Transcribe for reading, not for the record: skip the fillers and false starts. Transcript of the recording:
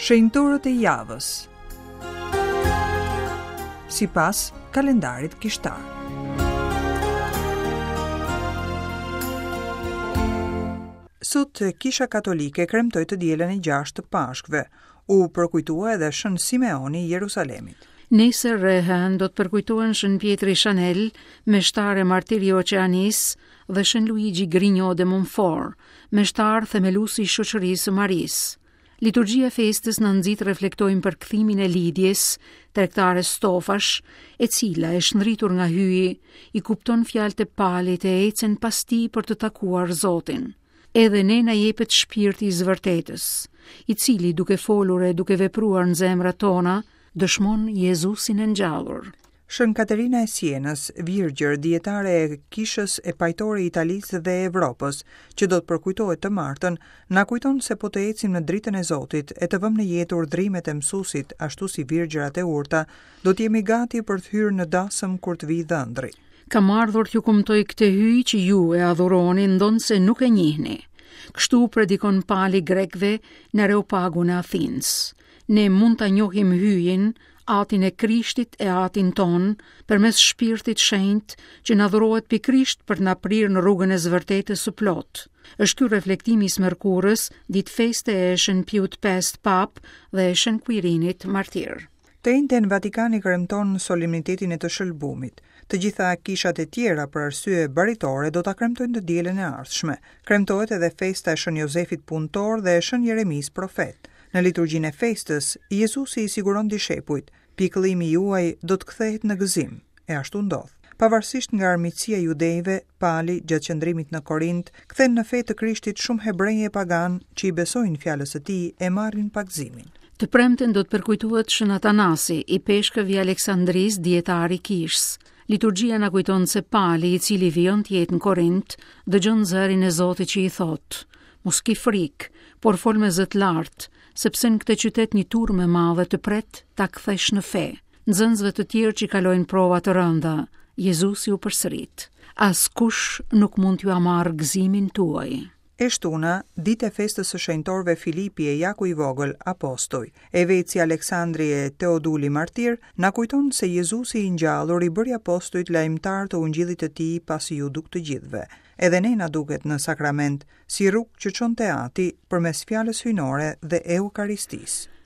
Shenjtorët e javës. Sipas kalendarit kishtar. Sot Kisha Katolike kremtoi të dielën e 6 të Pashkëve. U përkujtua edhe Shën Simeoni i Jerusalemit. Nesër e hënë do të përkujtohen Shën Pjetri Chanel, meshtar e martir i Oqeanisë, dhe Shën Luigi Grignion de Montfort, meshtar themelues i Shoqërisë së Marisë. Liturgjia e festës na nxit të reflektojmë për kthimin e Lidies, tregtare stofash, e cila e shndritur nga Hyji, i kupton fjalët e Palit e ecën pas tij për të takuar Zotin. Edhe ne na jepet shpirti i së vërtetës, i cili duke folur e duke vepruar në zemrat tona, dëshmon Jezusin e ngjallur. Shën Katerina e Sienës, virgjër, dijetare e Kishës e pajtore e Italisë dhe e Evropës, që do të përkujtohet të martën, na kujton se po të ecim në dritën e Zotit e të vëmë në jetë urdhërimet e Mësuesit, ashtu si virgjërat e urta, do të jemi gati për të hyrë në dasëm kur të vijë dhëndri. Kam ardhur t'ju kumtoj këtë Hyj që ju e adhuroni ndonëse nuk e njihni. Kështu predikon Pali grekëve në Areopagun e Athinës. Ne mund ta njohim Hyjin, Atin e Krishtit e Atin tonë, përmes Shpirtit Shenjt, që na dhurohet pikërisht për të na prirë në rrugën e së vërtetës së plotë. Është ky reflektimi i së mërkurës, ditë feste e Shën Piut V Papë dhe e Shën Kuirinit Martir. Të enjten Vatikani kremton solemnitetin e të Shëlbumit. Të gjitha kishat e tjera për arsye baritore do ta kremtojnë të dielën e ardhshme. Kremtohet edhe festa e Shën Jozefit Punëtor dhe e Shën Jeremisë Profet. Në liturgjinë e festës, Jezusi i siguron dishepujt, Pikëllimi juaj do të kthehet në gëzim. E ashtu ndodh. Pavarësisht nga armiqësia e judejve, Pali, gjatë qëndrimit në Korint, kthen në fe të Krishtit shumë hebrenj e paganë që i besojnë fjalës së tij e marrin pagëzimin. Të premten do të përkujtohet Shën Atanasi, ipeshkëv i Aleksandrisë, dijetar i Kishës. Liturgjia na kujton se Pali, i cili vijon të jetë në Korint, dëgjon zërin e Zotit që i thotë: Mos ki frikë, por fol me zë të lartë, sepse në këtë qytet një turmë e madhe të pret ta kthesh në fe. Nxënësve të tjerë që kalojnë prova të rënda, Jezusi u përsërit: Askush nuk mund t'jua marrë gëzimin tuaj. E shtuna, ditë e festës së shenjtorëve Filipi e Jaku i Vogël, apostuj, e vetë si Aleksandri e Teoduli martir, na kujton se Jezusi i ngjallur i bëri apostujt lajmëtarë të ungjillit të tij pasi iu duk të gjithëve. Edhe ne na duket në sakrament, si rrugë që çon te Ati, përmes Fjalës Hyjnore dhe Eukaristisë.